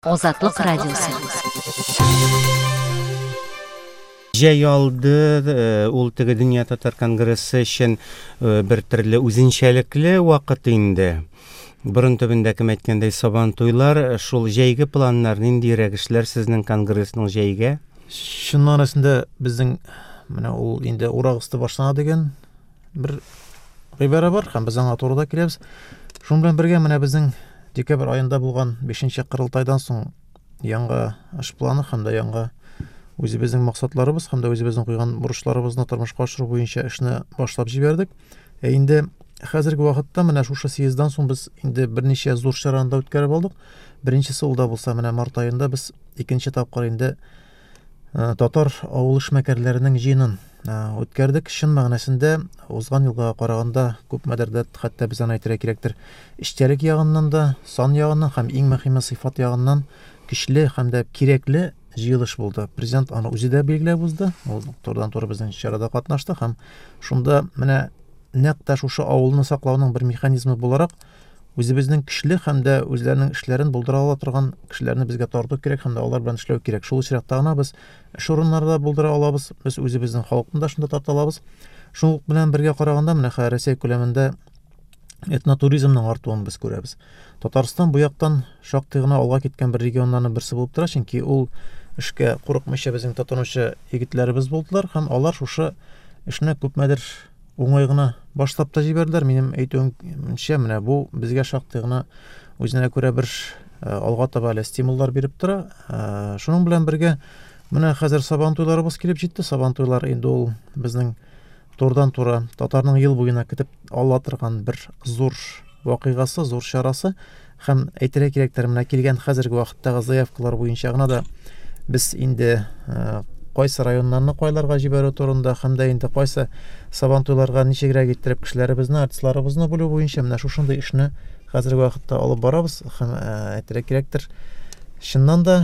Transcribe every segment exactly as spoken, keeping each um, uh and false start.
Азатлык радиосы. Җәй алды, э, ул теге Дөнья татар конгрессы өчен э, бер төрле үзенчәлекле вакыт инде. Борын төбендә, кем әйткәндәй, сабан туйлар, э, шул җәйге планнар ниндирәк эшләр сезнең конгрессның җәйгә? Чын мәгънәсендә безнең менә ул инде урак өсте башлана дигән бер гыйбарә бар һәм без аңа туры да киләбез. Шуның белән бергә менә безнең декабрь аенда булган бишенче корылтайдан соң яңа эш планы һәм дә яңа үзебезнең максатларыбыз һәм дә үзебезнең куйган бурычларыбызны тормышка ашыру буенча эшне башлап җибәрдек. Ә инде хәзерге вакытта менә шушы съезддан соң без инде берничә зур чараны да үткәреп алдык. Беренчесе ул да булса менә март аенда без икенче тапкыр инде э, татар авыл эшмәкәрләренең җыенын э, үткәрдек. Чын мәгънәсендә узган елга караганда күпмедер дә, хәтта без аны әйтергә кирәктер, эчтәлек ягыннан да, сан ягыннан һәм иң мөһиме сыйфат ягыннан көчле һәм дә кирәкле җыелыш булды. Президент аны үзе дә билгеләп узды. Ул турыдан-туры безнең чарада катнашты һәм шунда менә нәкъ тә шушы авылны саклауның бер механизмы буларак үзебезнең көчле һәм дә үзләренең эшләрен булдыра ала торган кешеләрне безгә тарту кирәк һәм дә алар белән эшләү кирәк. Шул очракта гына без эш урыннары да булдыра алабыз, без үзебезнең халыкны да шунда тарта алабыз. Шул белән бергә караганда менә хәзер Рәсәй күләмендә этнотуризмның артуын без күрәбез. Татарстан бу яктан шактый гына алга киткән бер регионнарның берсе булып тора, чөнки ул эшкә курыкмыйча безнең тотынучы егетләребез булдылар һәм алар шушы эшне күпмедер уңай гына башлап та җибәрделәр. Минем әйтүемчә, менә бу безгә шактый гына үзенә күрә бер э, алга таба әле стимуллар биреп тора. Э, Шуның белән бергә менә хәзер Сабан туйларыбыз килеп җитте. Сабан туйлар инде ул безнең турыдан-туры татарның ел буена көтеп ала торган бер зур вакыйгасы, зур чарасы. Һәм әйтергә кирәктер, менә килгән хәзерге вакыттагы заявкалар буенча гына да без инде э, кайсы районнарны кайларга җибәрү турында һәм дә инде кайсы сабан туйларга ничегрәк иттереп кешеләребезне, артистларыбызны бүлү буенча менә шушындый эшне хәзерге вакытта алып барабыз һәм э, әйтергә кирәктер, чыннан да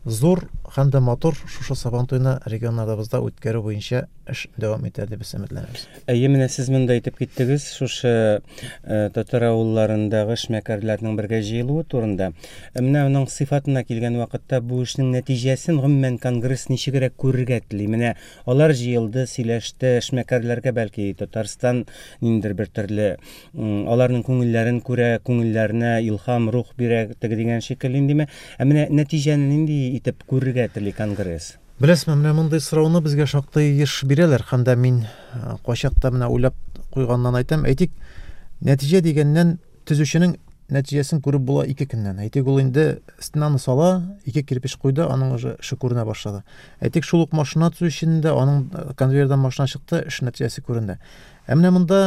зур һәм дә матур шушы сабан туйны регионнарыбызда үткәрү буенча эш дәвам итә дип без өметләнәбез. Әйе, менә сез монда әйтеп киттегез, шушы э, татар авылларындагы эшмәкәрләрнең бергә җыелуы турында. Ә менә аның сыйфатына килгән вакытта бу эшнең нәтиҗәсен гомумән конгресс ничегрәк күрергә тели? Менә алар җыелды, сөйләште, эшмәкәрләргә бәлки Татарстан ниндидер бер төрле аларның күңелләрен күрә, күңелләренә илһам, рух бирә теге дигән шикелле индеме? Ә менә нәтиҗәне нинди итеп күрергә тели конгресс? Беләсезме, менә мондый сорауны безгә шактый еш бирәләр һәм дә мин э, кайчакта менә уйлап куйганнан әйтәм. Әйтик, нәтиҗә дигәннән төзүченең нәтиҗәсен күреп була ике көннән. Әйтик, ул инде стенаны сала, ике кирпеч куйды, аның уже эше күренә башлады. Әйтик, шул ук машина төзүченең дә аның э, конвейердан машина чыкты, эш нәтиҗәсе күренде. Ә менә монда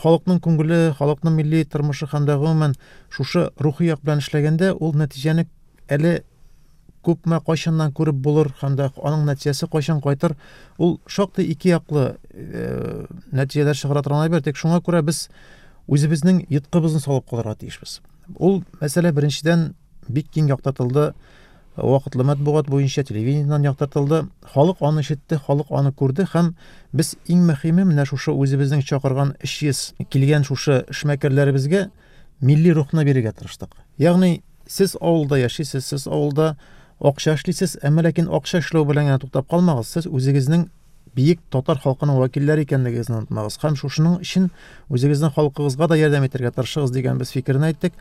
халыкның күңеле, халыкның милли тормышы һәм дә гомумән шушы рухи як белән эшләгәндә ул нәтиҗәне әле күпме кайчаннан күреп булыр һәм дә аның нәтиҗәсе кайчан кайтыр, ул шактый ике яклы э, нәтиҗәләр чыгара торган әйбер. Тик шуңа күрә без үзебезнең йоткыбызны салып калырга тиешбез. Ул мәсьәлә беренчедән бик киң яктыртылды, вакытлы матбугат буенча телевидениедән яктыртылды. Халык аны ишетте, халык аны күрде һәм без иң мөһиме менә шушы үзебезнең чакырган өч йөз килгән шушы эшмәкәрләребезгә милли рухны бирергә тырыштык. Ягъни сез авылда яшисез, сез авылда акча эшлисез, әмма ләкин акча эшләү белән генә туктап калмагыз, сез үзегезнең бөек татар халкының вәкилләре икәнлегегезне онытмагыз һәм шушының өчен үзегезнең халкыгызга да ярдәм итәргә тырышыгыз дигән без фикерне әйттек.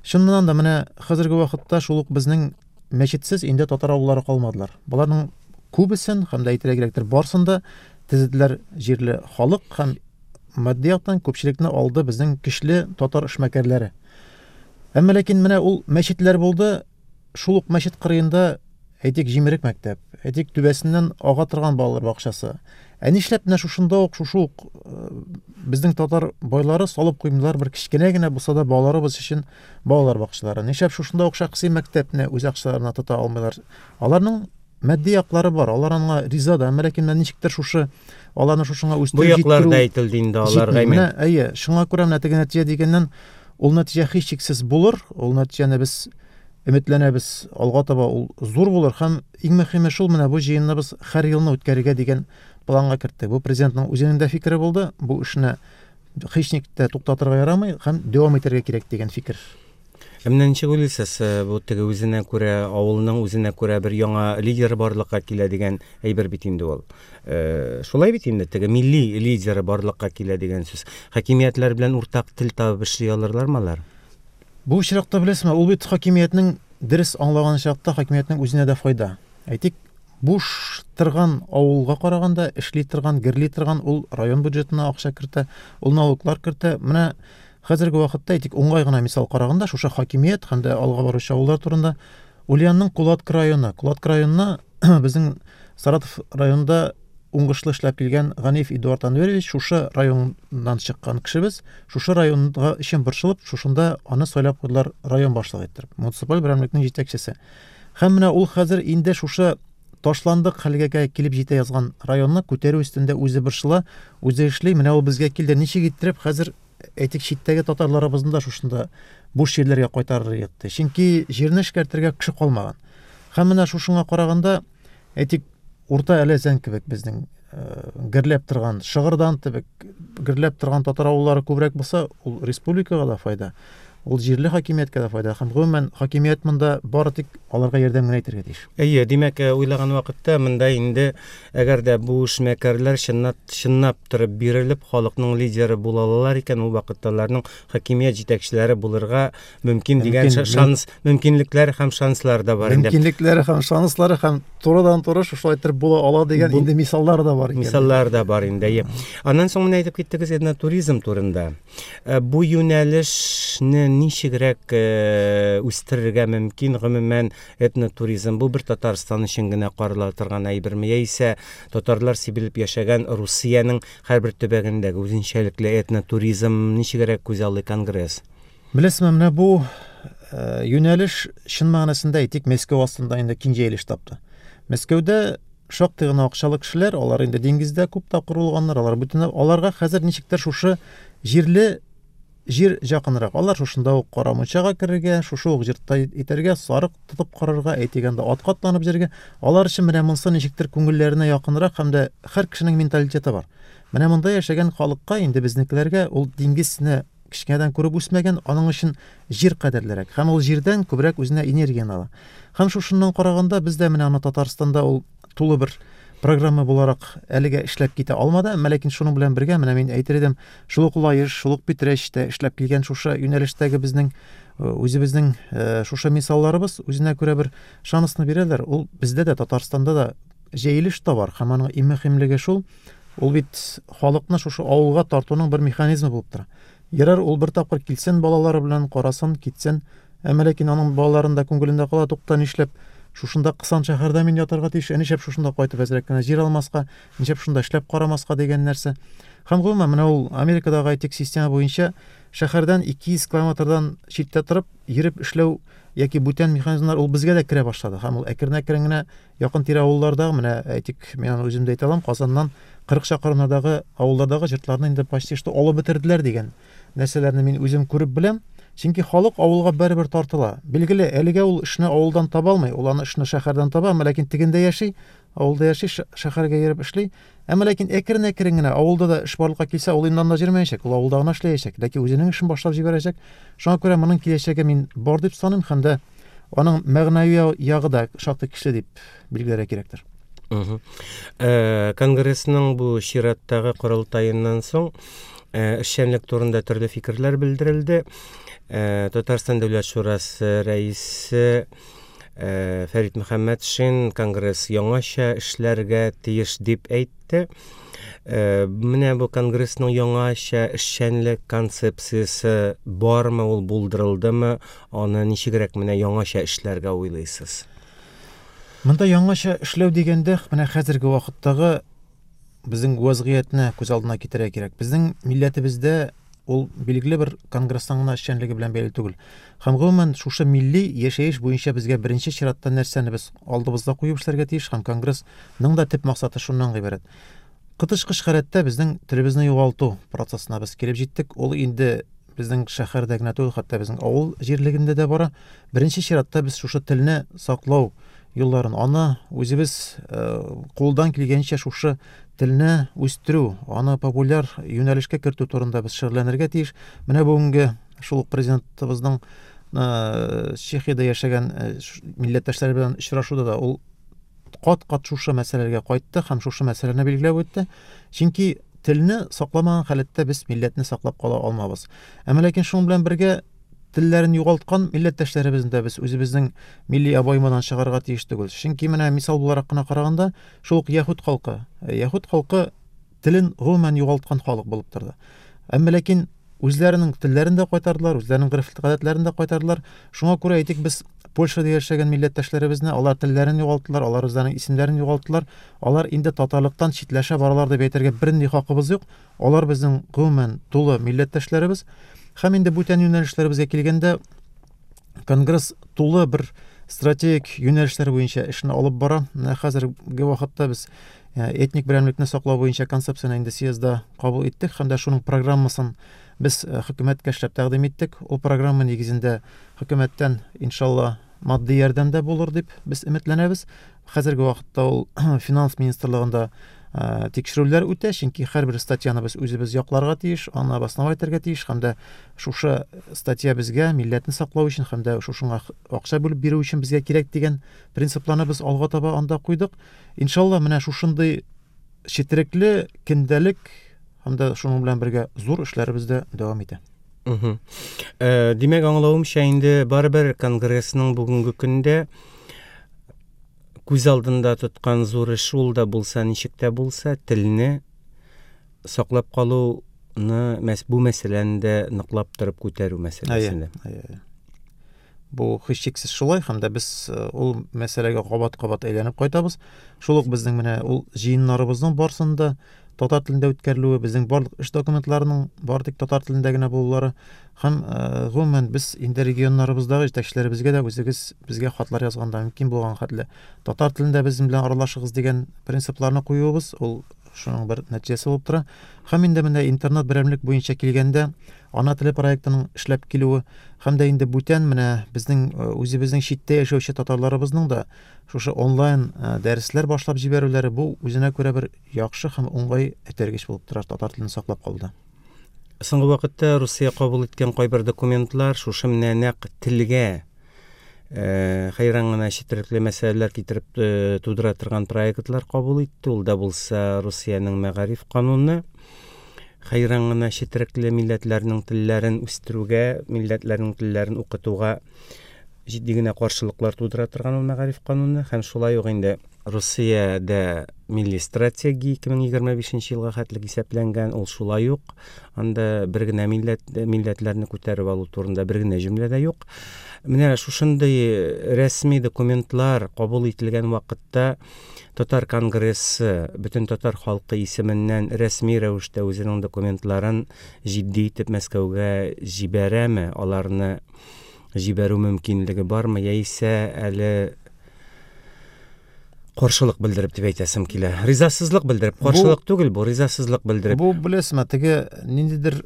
Чыннан да менә хәзерге вакытта шул ук безнең мәчетсез инде татар авыллары калмадылар. Боларның күбесен һәм дә әйтергә кирәктер, барысын да төзеделәр җирле халык һәм матди яктан күпчелекне алды безнең көчле татар эшмәкәрләре. Әмма ләкин менә ул мәчетләр булды, шул ук мәчет кырыенда әйтик җимерек мәктәп, әйтик түбәсеннән ага торган балалар бакчасы. Ә нишләп менә шушында ук шушы ук безнең татар байлары салып куймыйлар бер кечкенә генә булса да балаларыбыз өчен балалар бакчалары. Нишләп шушында ук шәхси мәктәпне үз акчаларына тота алмыйлар? Аларның матди яклары бар, алар аңа риза да, әмма ләкин менә ничектер шушы аларны шушыңа үстереп Бу яклар да әйтелде инде аларга. Менә әйе, шуңа күрә менә теге нәтиҗә дигәннән ул нәтиҗә һичшиксез булыр, ул нәтиҗәне без өметләнәбез, алга таба ул зур булыр һәм иң мөһиме шул менә бу җыенны без һәр елны үткәрергә дигән планга керттек. Бу президентның үзенең дә фикере булды, бу эшне һичник тә туктатырга ярамый һәм дәвам итәргә кирәк дигән фикер. Ә менә ничек уйлыйсыз, бу теге үзенә күрә авылның үзенә күрә бер яңа лидер барлыкка килә дигән әйбер бит инде ул. Шулай бит инде, теге милли лидеры барлыкка килә дигән сүз. Хакимиятләр белән уртак тел табып эшли алырлармы алар? Бу очракта беләсезме, ул бит хакимиятнең дөрес аңлаган чакта хакимиятнең үзенә дә файда. Әйтик, буш торган авылга караганда эшли торган, герли торган ул район бюджетына акча кертә, ул налоглар кертә. Менә хәзерге вакытта әйтик, уңай гына мисал караганда, шушы хакимият һәм дә алга баручы авыллар турында Ульянның Кулатка районы. Кулатка районына безнең Саратов районында уңышлы эшләп килгән Ганиев Эдуард Анверович шушы районнан чыккан кешебез, шушы районга өчен борчылып, шушында аны сайлап куйдылар район башлыгы иттереп, муниципаль берәмлекнең җитәкчесе. Һәм менә ул хәзер инде шушы ташландык хәлгә килеп җитә язган районны күтәрү өстендә үзе борчыла, үзе эшли. Менә ул безгә килде. Ничек иттереп хәзер әйтик читтәге татарларыбызны да шушында буш җирләргә кайтарыр итте. Чөнки җирне эшкәртергә кеше калмаган. Һәм менә шушыңа караганда әйтик Урта Әләзән кебек безнең гөрләп торган, Шыгырдан кебек гөрләп торган татар авыллары күбрәк булса, ул республикага да файда, ул җирле хакимияткә дә файда. Һәм гомумән хакимият монда бары тик аларга ярдәм генә итәргә тиеш. Әйе, димәк, уйлаган вакытта монда инде әгәр дә бу эшмәкәрләр чынлап, чынлап торып бирелеп халыкның лидеры була алалар икән, ул вакытта аларның хакимият җитәкчеләре булырга мөмкин дигән шанс, мөмкинлекләр һәм шанслар да бар инде. Мөмкинлекләре һәм шанслары һәм турыдан-туры шушылай итеп була ала дигән инде мисаллар да бар икән. Мисаллар да бар инде. Әйе. Аннан соң менә әйтеп киттегез этнотуризм турында. Бу юнәлешне ничегрәк үстерергә мөмкин? Гомумән этнотуризм бу бер Татарстан өчен генә карала торган әйберме, яисә татарлар сибелеп яшәгән Русиянең һәрбер төбәгендәге үзенчәлекле этнотуризм ничегрәк күз алды конгресс? Беләсезме, менә бу юнәлеш чын мәгънәсендә әйтик Мәскәү астында инде киң җәелеш тапты. Мәскәүдә шактый гына акчалы кешеләр, алар инде диңгездә күп тапкыр булганнар, алар бүтән аларга хәзер ничектер шушы җирле җир якынрак. Алар шушында ук кара мунчага керергә, шушы ук җиртта итәргә, сарык тотып карарга, әйтик анда атка атланып йөрергә. Алар өчен менә монысы ничектер күңелләренә якынрак һәм дә һәр кешенең менталитеты бар. Менә монда яшәгән халыкка инде безнекеләргә ул диңгезне кечкенәдән күреп үсмәгән, аның өчен җир кадерлерәк. Һәм ул җирдән күбрәк үзенә энергияне ала. Һәм шушыннан караганда бездә менә аны Татарстанда ул тулы бер программа буларак әлегә эшләп китә алмады, әмма ләкин шуның белән бергә менә мин әйтер идем, шул ук Лаеш, шул ук Питрәчтә эшләп килгән шушы юнәлештәге безнең үзебезнең шушы мисалларыбыз үзенә күрә бер шансны бирәләр. Ул бездә дә, Татарстанда да җәелеш тә бар һәм аның иң мөһимлеге шул, ул бит халыкны шушы авылга тартуның бер механизмы булып тора. Ярар, ул бер тапкыр килсен балалары белән, карасын, китсен, әмма ләкин аның балаларында күңелендә кала, тукта нишләп шушында кысан шәһәрдә мин ятарга тиеш, ә нишләп шушында кайтып әзрәк кенә җир алмаска, нишләп шунда эшләп карамаска дигән нәрсә. Һәм гомумән менә ул Америкадагы әйтик система буенча шәһәрдән ике йөз километрдан читтә торып йөреп эшләү яки бүтән механизмнар ул безгә дә керә башлады. Һәм ул әкрен-әкрен генә якын тирә авыллардагы, менә әйтик, мин аны үзем дә әйтә алам, Казаннан кырык чакрымнардагы авыллардагы җыртларны инде почти что алып бетерделәр дигән нәрсәләрне мин үзем күреп беләм. Чөнки халык авылга барыбер тартыла. Билгеле, әлегә ул эшне авылдан таба алмый, ул аны эшне шәһәрдән таба, әмма ләкин тегендә яши, авылда яши, шәһәргә йөреп эшли. Әмма ләкин әкрен-әкрен генә авылда да эш барлыкка килсә, ул инде анда йөрмәячәк, ул авылда гына эшләячәк, ләкин үзенең эшен башлап җибәрәчәк. Шуңа күрә моның киләчәге мин бар дип саныйм һәм дә аның мәгънәви ягы да шактый көчле дип билгеләргә кирәктер. Конгрессның бу чираттагы корылтаеннан соң эшчәнлек турында төрле фикерләр белдерелде. Татарстан Дәүләт Шурасы рәисе Фәрит Мөхәммәтшин конгресс яңача эшләргә тиеш дип әйтте. Менә бу конгрессның яңача эшчәнлек концепциясе бармы, ул булдырылдымы, аны ничегрәк менә яңача эшләргә уйлыйсыз? Монда яңача эшләү дигәндә, менә хәзерге вакыттагы безнең вазгыятьне күз алдына китерергә кирәк. Безнең милләтебездә ул билгеле бер конгресстан гына эшчәнлеге белән бәйле түгел. Һәм гомумән шушы милли яшәеш буенча безгә беренче чиратта нәрсәне без алдыбызда куеп эшләргә тиеш һәм конгрессның да төп максаты шуннан гыйбарәт. Кытышкыч халәттә безнең телебезне югалту процессына без килеп җиттек. Ул инде безнең шәһәрдә генә түгел, хәтта безнең авыл җирлегендә дә бара. Беренче чиратта без шушы телне саклау юлларын, аны үзебез кулдан килгәнчә шушы телне үстерү, аны популяр юнәлешкә кертү турында без шөгыльләнергә тиеш. Менә бүгенге шул ук президентыбызның Чехиядә яшәгән милләттәшләр белән очрашуда да ул кат-кат шушы мәсьәләгә кайтты һәм шушы мәсьәләне билгеләп үтте. Чөнки телне сакламаган халәттә без милләтне саклап кала алмабыз. Әмма ләкин шуның белән бергә телләрен югалткан милләттәшләребезне дә без үзебезнең милли обоймадан чыгарырга тиеш түгел. Чөнки менә мисал буларак кына караганда, шул ук яһүд халкы, яһүд халкы телен гомумән югалткан халык булып торды. Әмма ләкин үзләренең телләрен дә кайтардылар, үзләренең гореф-гадәтләрен дә кайтардылар. Шуңа күрә әйтик, без Польшада яшәгән милләттәшләребезне, алар телләрен югалттылар, алар үзләренең исемнәрен югалттылар. Алар инде татарлыктан читләшә баралар дип әйтергә бернинди хакыбыз юк. Алар безнең гомумән тулы милләттәшләребез. Һәм инде бүтән юнәлешләребезгә килгәндә, Конгресс тулы бер стратегик юнәлешләр буенча эшне алып бара. Менә хәзерге вакытта без этник берәмлекне саклау буенча концепцияне инде съездда кабул иттек һәм дә шуның программасын без хөкүмәткә эшләп тәкъдим иттек. Ул программа нигезендә хөкүмәттән иншалла матди ярдәм дә булыр дип без өметләнәбез. Хәзерге вакытта ул финанс министрлыгында тикшерүләр үтә, чөнки һәрбер статьяны без үзебез якларга тиеш, аны обосновать итәргә тиеш һәм дә шушы статья безгә милләтне саклау өчен һәм дә шушыңа акча бүлеп бирү өчен безгә кирәк дигән принципларны без алга таба анда куйдык. Иншалла, менә шушындый четерекле көндәлек һәм дә шуның белән бергә зур эшләребез дә дәвам итә. Угу. Э, димәк, аңлавымча, инде барыбер Конгрессның бүгенге көндә күз алдында тоткан зур эш ул да булса, ничек тә булса, телне саклап калуны, бу мәсьәләне дә ныклап торып күтәрү мәсьәләсендә. Әйе, әйе. Бу һичшиксез шулай, һәм дә без ул мәсьәләгә кабат-кабат әйләнеп кайтабыз. Шул ук безнең менә ул җыеннарыбызның барсында татар телендә үткәрелүе, безнең барлык эш документларының бары тик татар телендә генә булулары һәм гомумән без инде регионнарыбыздагы җитәкчеләребезгә дә үзегез безгә хатлар язганда мөмкин булган хәтле татар телендә безнең белән аралашыгыз дигән принципларны куюыбыз, ул шуның бер нәтиҗәсе булып тора. Һәм инде менә интернет берәмлек буенча килгәндә, ана теле проектының эшләп килүе һәм дә инде бүтән менә безнең үзебезнең читтә яшәүче татарларыбызның да шушы онлайн дәресләр башлап җибәрүләре, бу үзенә күрә бер яхшы һәм уңай этәргеч булып тора татар телен саклап калуда. Соңгы вакытта Русия кабул иткән кайбер документлар шушы менә нәкъ телгә хәйран гына четерекле мәсьәләләр китереп тудыра торган проектлар кабул итте. Ул да булса Русиянең мәгариф кануны, хәйран гына четерекле милләтләрнең телләрен үстерүгә, милләтләрнең телләрен укытуга җитди генә каршылыклар тудыра торган ул мәгариф кануны. Һәм шулай ук инде Русиядә милли стратегия ике мең егерме бишенче елга хәтлек исәпләнгән, ул шулай ук анда бер генә милләт, милләтләрне күтәреп алу турында бер генә җөмлә дә юк. Менә шушындый рәсми документлар кабул ителгән вакытта Татар конгрессы бөтен татар халкы исеменнән рәсми рәвештә үзенең документларын җитди итеп Мәскәүгә җибәрәме? Аларны җибәрү мөмкинлеге бармы? Яисә әле каршылык белдереп дип әйтәсем килә. Ризасызлык белдереп, каршылык түгел бу, ризасызлык белдереп. Бу беләсезме, теге ниндидер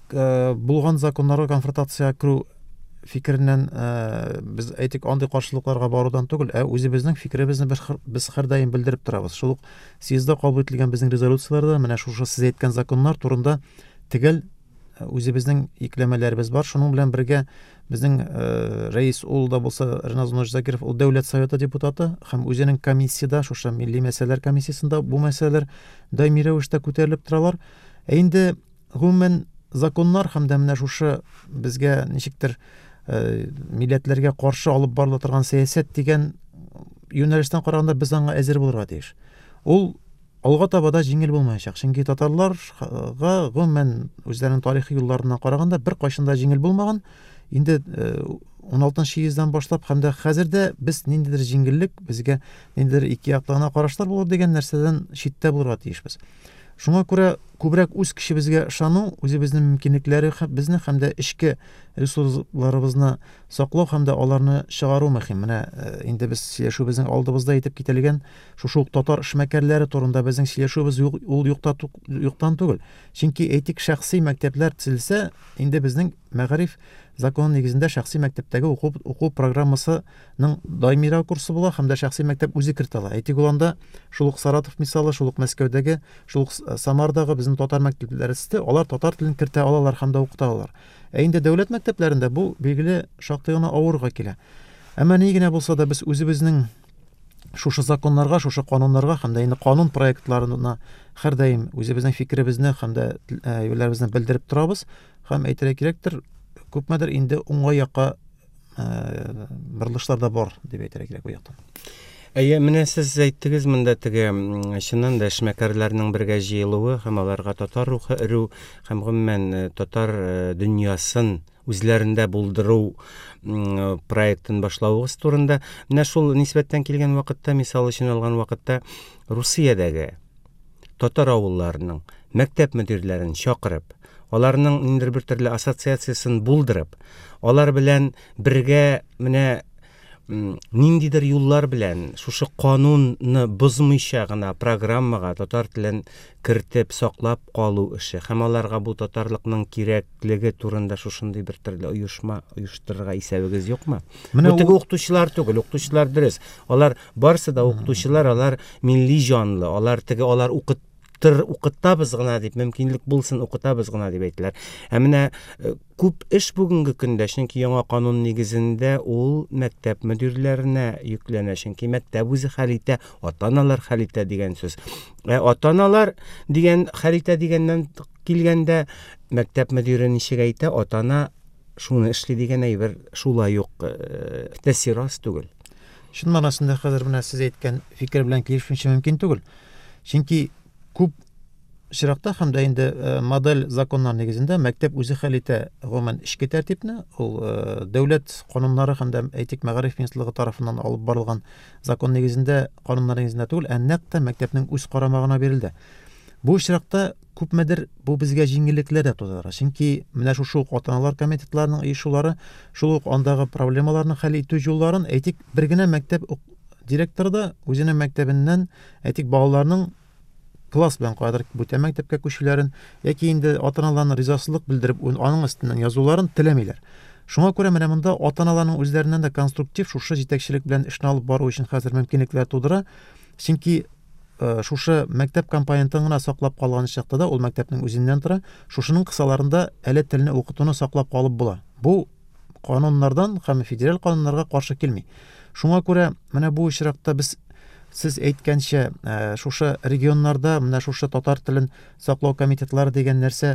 булган законнарга конфронтация керү фикереннән без әйтик андый каршылыкларга барудан түгел, ә үзебезнең фикеребезне без һәрдаим белдереп торабыз. Шул ук съездда кабул ителгән безнең резолюцияләрдә менә шушы сез әйткән законнар турында төгәл үзебезнең икләмәләребез бар. Шуның белән бергә безнең рәис ул да булса Риназ Закиров, ул Дәүләт Советы депутаты һәм үзенең комиссияда, шушы милли мәсьәләләр комиссиясендә бу мәсьәләләр даими рәвештә күтәрелеп торалар. Ә инде гомумән законнар һәм дә менә шушы безгә ничектер милләтләргә каршы алып барыла торган сәясәт дигән юнәлештән караганда без аңа әзер булырга тиеш. Ул алга таба да җиңел булмаячак. Чөнки татарларга гомумән үзләренең тарихи юлларына караганда бер кайчан да җиңел булмаган. Инде ун алтынчы йөздән башлап һәм дә хәзер дә без ниндидер җиңеллек, безгә ниндидер ике яклы гына карашлар булыр дигән нәрсәдән читтә булырга тиешбез. Шуңа күрә күбрәк үз кешебезгә ышану, үзебезнең мөмкинлекләре безне һәм дә эчке ресурсларыбызны саклау һәм дә аларны чыгару мөһим. Менә инде без сөйләшүебезнең алдыбызда әйтеп кителгән шушы ук татар эшмәкәрләре турында безнең сөйләшүебез юк, ул юкта юктан түгел. Чөнки әйтик шәхси мәктәпләр төзелсә, инде безнең мәгариф законы нигезендә шәхси мәктәптәге уку, уку программасының даимирәк курсы була һәм дә шәхси мәктәп үзе кертә ала. Әйтик, ул анда шул ук Саратов мисалы, шул ук Мәскәүдәге, шул ук Самардагы безнең татар мәктәпләре төзелде, алар татар телен кертә алалар һәм дә укыта алалар. Ә инде дәүләт мәктәпләрендә бу билгеле шактый гына авырга килә. Әмма ни генә булса да без үзебезнең шушы законнарга, шушы кануннарга һәм дә инде канун проектларына һәрдаим үзебезнең фикеребезне һәм дә әйберләребезне белдереп торабыз һәм әйтергә кирәктер, күпмедер инде уңай якка борылышлар да бар дип әйтергә кирәк бу яктан. Әйе, менә сез әйттегез монда теге чыннан да эшмәкәрләрнең бергә җыелуы һәм аларга татар рухы өрү һәм гомумән татар дөньясын үзләрендә булдыру проектын башлавыгыз турында. Менә шул нисбәттән килгән вакытта, мисал өчен алган вакытта, Русиядәге татар авылларының мәктәп мөдирләрен чакырып, аларның ниндидер бер төрле ассоциациясен булдырып, алар белән бергә менә ниндидер юллар белән шушы канунны бозмыйча гына программага татар телен кертеп саклап калу эше һәм аларга бу татарлыкның кирәклеге турында шушындый бер төрле оешма оештырырга исәбегез юкмы? Бу теге укытучылар түгел, укытучылар дөрес. Алар барысы да укытучылар, алар милли җанлы, алар теге алар укыт укытабыз гына дип, мөмкинлек булсын укытабыз гына дип әйтәләр. Ә менә күп эш бүгенге көндә, чөнки яңа канун нигезендә ул мәктәп мөдирләренә йөкләнә, чөнки мәктәп үзе хәл итә, ата-аналар хәл итә дигән сүз. Ә ата-аналар дигән хәл итә дигәннән килгәндә мәктәп мөдире ничек әйтә, ата-ана шуны эшли дигән әйбер шулай ук тәэсир аз түгел. Чын мәгънәсендә хәзер менә сез әйткән фикер белән килешмичә мөмкин түгел. Чөнки күп очракта һәм дә инде модель законнар нигезендә мәктәп үзе хәл итә гомумән эчке тәртипне, ул дәүләт кануннары һәм дә әйтик мәгариф министрлыгы тарафыннан алып барылган закон нигезендә, кануннар нигезендә түгел, ә нәкъ тә мәктәпнең үз карамагына бирелде. Бу очракта күпмедер бу безгә җиңеллекләр дә тудыра. Чөнки менә шушы ук ата-аналар комитетларының оешулары, шул ук андагы проблемаларны хәл итү юлларын, әйтик, бер генә мәктәп директоры да үзенең мәктәбеннән, әйтик, балаларның класс белән кадәр бүтән мәктәпкә күчүләрен яки инде ата-аналарның ризасызлык белдереп аның өстеннән язуларын теләмиләр. Шуңа күрә менә монда ата-аналарның үзләреннән дә конструктив шушы җитәкчелек белән эшне алып бару өчен хәзер мөмкинлекләр тудыра. Чөнки шушы мәктәп компонентын гына саклап калган чакта да ул мәктәпнең үзеннән тора, шушының кысаларында әле телне укытуны саклап калып була. Бу кануннардан һәм федераль кануннарга каршы килми. Шуңа күрә менә бу очракта без сез әйткәнчә, шушы регионнарда менә шушы татар телен саклау комитетлары дигән нәрсә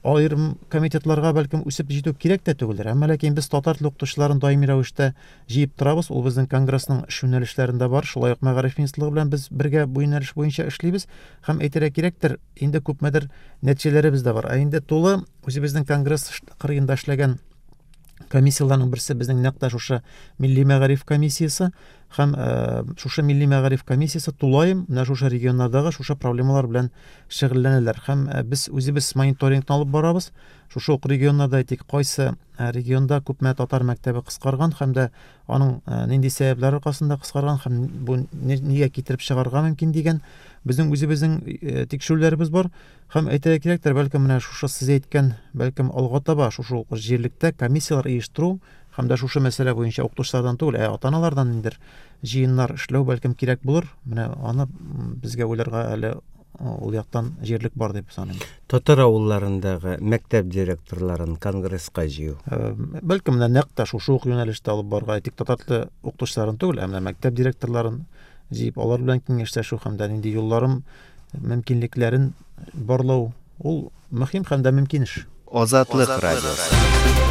аерым комитетларга бәлкем үсеп җитү кирәк тә түгелдер. Әмма ләкин без татар теле укытучыларын даими рәвештә җыеп торабыз. Ул безнең конгрессның эш юнәлешләрендә бар. Шулай ук мәгариф министрлыгы белән без бергә бу юнәлеш буенча эшлибез. Һәм әйтергә кирәктер, инде күпмедер нәтиҗәләребез дә бар. Ә инде тулы үзебезнең конгресс кырыенда эшләгән комиссияләрнең берсе безнең нәкъ тә шушы Милли мәгариф комиссиясе һәм шушы Милли мәгариф комиссиясе тулаем менә шушы регионнардагы шушы проблемалар белән шөгыльләнәләр. Һәм без үзебез мониторингны алып барабыз. Шушы ук регионнарда әйтик, кайсы регионда күпме татар мәктәбе кыскарган һәм дә аның нинди сәбәпләр аркасында кыскарган һәм бу нигә китереп чыгарга мөмкин дигән безнең үзебезнең тикшерүләребез бар. Һәм әйтергә кирәктер, бәлкем менә шушы сез әйткән, бәлкем алга таба шушы ук җирлектә комиссияләр оештыру һәм дә шушы мәсьәлә буенча укытучылардан түгел, ә ата-аналардан ниндидер җыеннар эшләү бәлкем кирәк булыр. Менә аны безгә уйларга әле ул яктан җирлек бар дип саныйм. Татар авылларындагы мәктәп директорларын конгресска җыю. Бәлкем менә нәкъ тә шушы ук юнәлештә алып барырга, әйтик, татар теле укытучыларын түгел, ә менә мәктәп директорларын җыеп, алар белән киңәшләшү һәм дә нинди юлларын, мөмкинлекләрен барлау ул мөһим һәм дә мөмкин эш. Азатлык радиосы.